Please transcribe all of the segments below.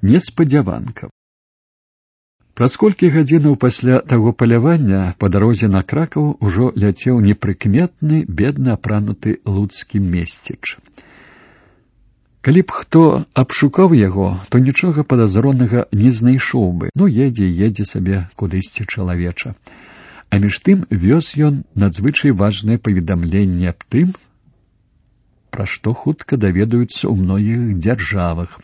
неспадзяванка. Праз колькі гадзінаў пасля таго палявання па дарозе на Кракаў ужо ляцеў непрыкметны, бедна апрануты луцкі месціч. Калі б хто абшукаў яго, то нічога падазронага не знайшоў бы. Едзе сабе кудысьці чалавеча. А між тым вёз ён надзвычай важнае паведамленне аб тым, пра што хутка даведаюцца ў многіх дзяржавах.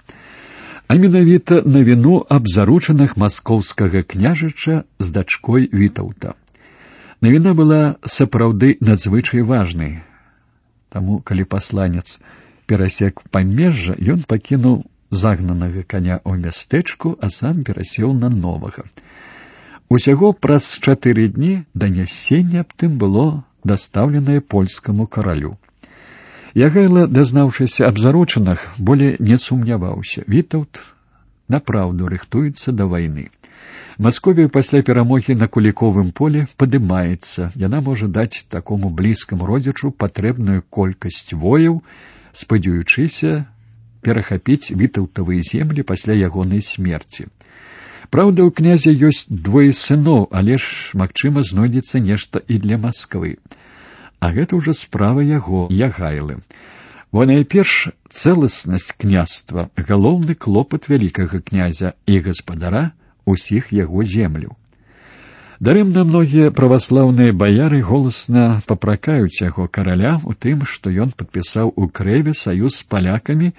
А менавіта навіну аб заручынах маскоўскага княжыча з дачкой Вітаўта. Навіна была сапраўды надзвычай важнай. Таму, калі пасланец перасек памежжа, ён пакінуў загнанага каня ў мястэчку, а сам перасеў на новага. Усяго праз 4 дні данясенне аб тым было дастаўленае польскаму каралю. Ягайла, дазнаўшыся аб заручынах, болей не сумняваўся. Вітаўт напраўду рыхтуецца да вайны. Масковія пасля перамогі на Куліковым поле падымаецца. Яна можа даць такому блізкаму родзічу патрэбную колькасць вояў, спадзяючыся перахапіць вітаўтавыя землі пасля ягонай смерці. Праўда, у князя ёсць 2 сыноў, але ж, магчыма, знойдзецца нешта і для Масквы. А гэта ўжо справа яго, Ягайлы. Бо найперш цэласнасць княства, галоўны клопат вялікага князя і гаспадара усіх яго земляў. Дарэмна многія праваслаўныя баяры голасна папракаюць яго караля у тым, што ён падпісаў у Крэве саюз з палякамі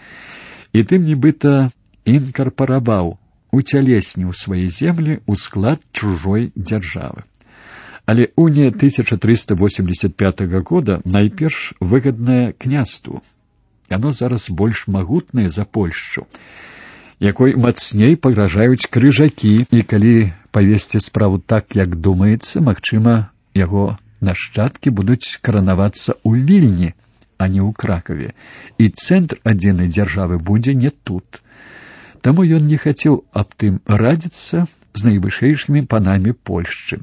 і тым нібыта інкарпараваў, уцялесніў свае землі ў склад чужой дзяржавы. Але уния 1385 года найперш выгадная княству. Яно зараз больш магутнае за Польшчу, якой мацней пагражаюць крыжакі, і калі павесці справу так, як думаецца, магчыма, яго нашчадкі будуць каранавацца ў Вільні, а не ў Кракаве, і цэнтр адзінай дзяржавы будзе не тут. Таму ён не хацеў аб тым радзіцца з найвышэйшымі панамі Польшчы.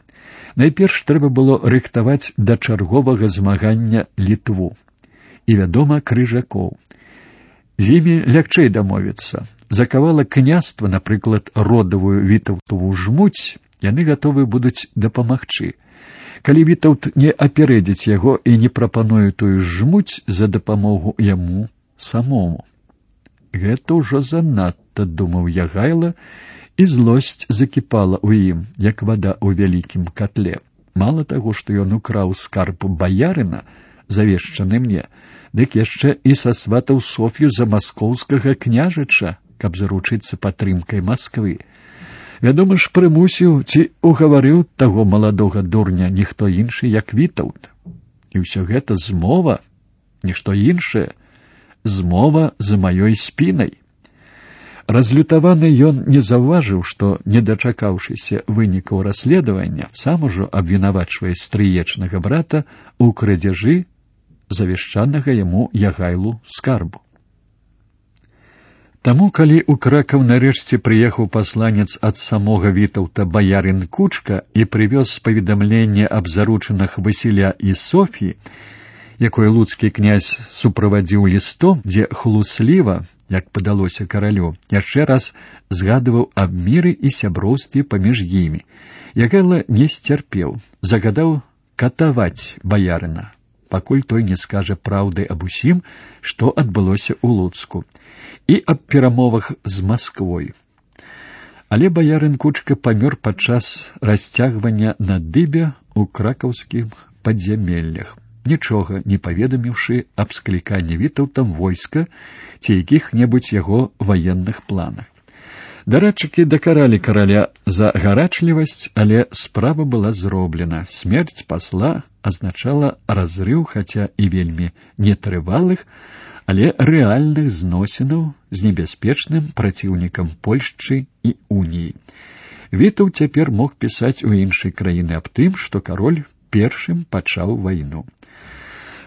Найперш трэба было рыхтаваць да чарговага змагання Літву і, вядома, крыжакоў. З імі лягчэй дамовіцца. За кавалак княства, напрыклад, родавую Вітаўтаву жмуць, яны гатовы будуць дапамагчы. Калі Вітаўт не апярэдзіць яго і не прапануе тую жмуць за дапамогу яму самому. Гэта ўжо занадта, думаў Ягайла, і злосць закіпала ў ім, як вада ў вялікім котле. Мала таго, што ён украў скарб баярына, завешчаны мне, дык яшчэ і сасватаў Соф'ю за маскоўскага княжыча, каб заручыцца падтрымкай Масквы. Вядома ж, прымусіў ці угаварыў таго маладога дурня ніхто іншы, як Вітаўт. І ўсё гэта змова, нішто іншае, змова за маёй спінай. Разлютаваны ён не заўважыў, што, не дачакаўшыся вынікаў расследавання, сам ужо абвінавачвае стрыечнага брата ў крадзяжы завешчанага яму Ягайлу скарбу. Таму, калі ў Кракаў нарэшце прыехаў пасланец ад самога Вітаўта баярын Кучка і прывёз паведамленне аб заручынах Васіля і Соф'і, якое луцкі князь суправадзіў лістом, дзе хлусліва, як падалося каралю, яшчэ раз згадываў аб міры і сяброўстве паміж імі. Ягайла не сцярпеў, загадаў катаваць баярына, пакуль той не скажа праўды аб усім, што адбылося ў Луцку, і аб перамовах з Масквой. Але баярын Кучка памёр падчас расцягвання на дыбе ў кракаўскіх падзямеллях, нічога не паведаміўшы аб скліканні Вітаўтам войска ці якіх-небудзь яго ваенных планах. Дарадчыкі дакаралі караля за гарачлівасць, але справа была зроблена. Смерць пасла азначала разрыў, хаця і вельмі нетрывалых, але рэальных зносінаў з небяспечным праціўнікам Польшчы і Уніі. Вітаўт цяпер мог пісаць у іншай краіны аб тым, што кароль першым пачаў вайну.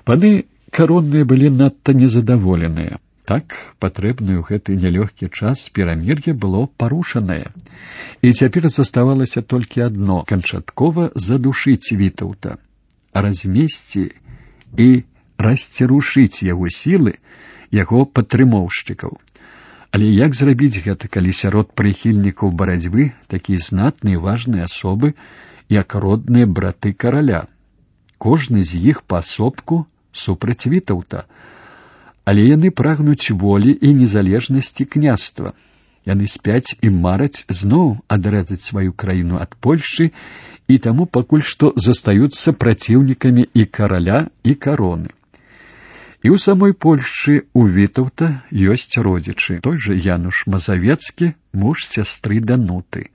Паны каронныя былі надта незадаволеныя. Так, патрэбнае ў гэты нялёгкі час перамір'е было парушанае. І цяпер заставалася толькі адно — канчаткова задушыць Вітаўта, размесці і расцерушыць яго сілы, яго падтрымоўшчыкаў. Але як зрабіць гэта, калі сярод прыхільнікаў барацьбы такія знатныя важныя асобы, як родныя браты караля? Кожны з іх паасобку супраць Вітаўта, але яны прагнуць волі і незалежнасці княства. Яны спяць і мараць зноў адрэзаць сваю краіну ад Польшчы, і таму пакуль што застаюцца праціўнікамі і караля, і кароны. І ў самой Польшчы у Вітаўта ёсць родзічы. Той жа Януш Мазавецкі, муж сястры Дануты.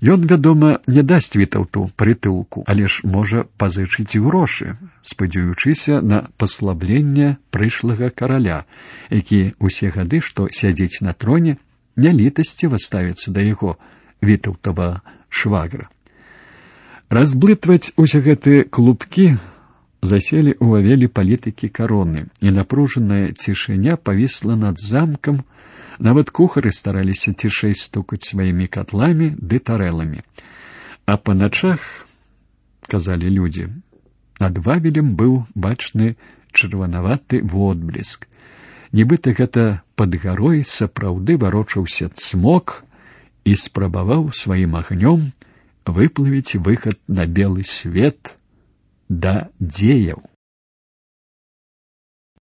Ён, вядома, не дасць Вітаўту прытулку, але ж можа пазычыць грошы, спадзяючыся на паслабленне прышлага караля, які усе гады, што сядзіць на троне, нялітасціва ставіцца да яго, Вітаўтава швагра. Разблытваць усе гэтыя клубкі заселі ў Вавелі палітыкі кароны, і напружаная цішыня павісла над замкам. Нават кухары стараліся цішэй стукаць сваімі катламі ды тарэламі. А па начах, казалі людзі, над Вавелем быў бачны чырванаваты водбліск. Нібыта гэта пад гарой сапраўды варочаўся цмок і спрабаваў сваім агнём выплывіць выхад на белы свет да дзеяў.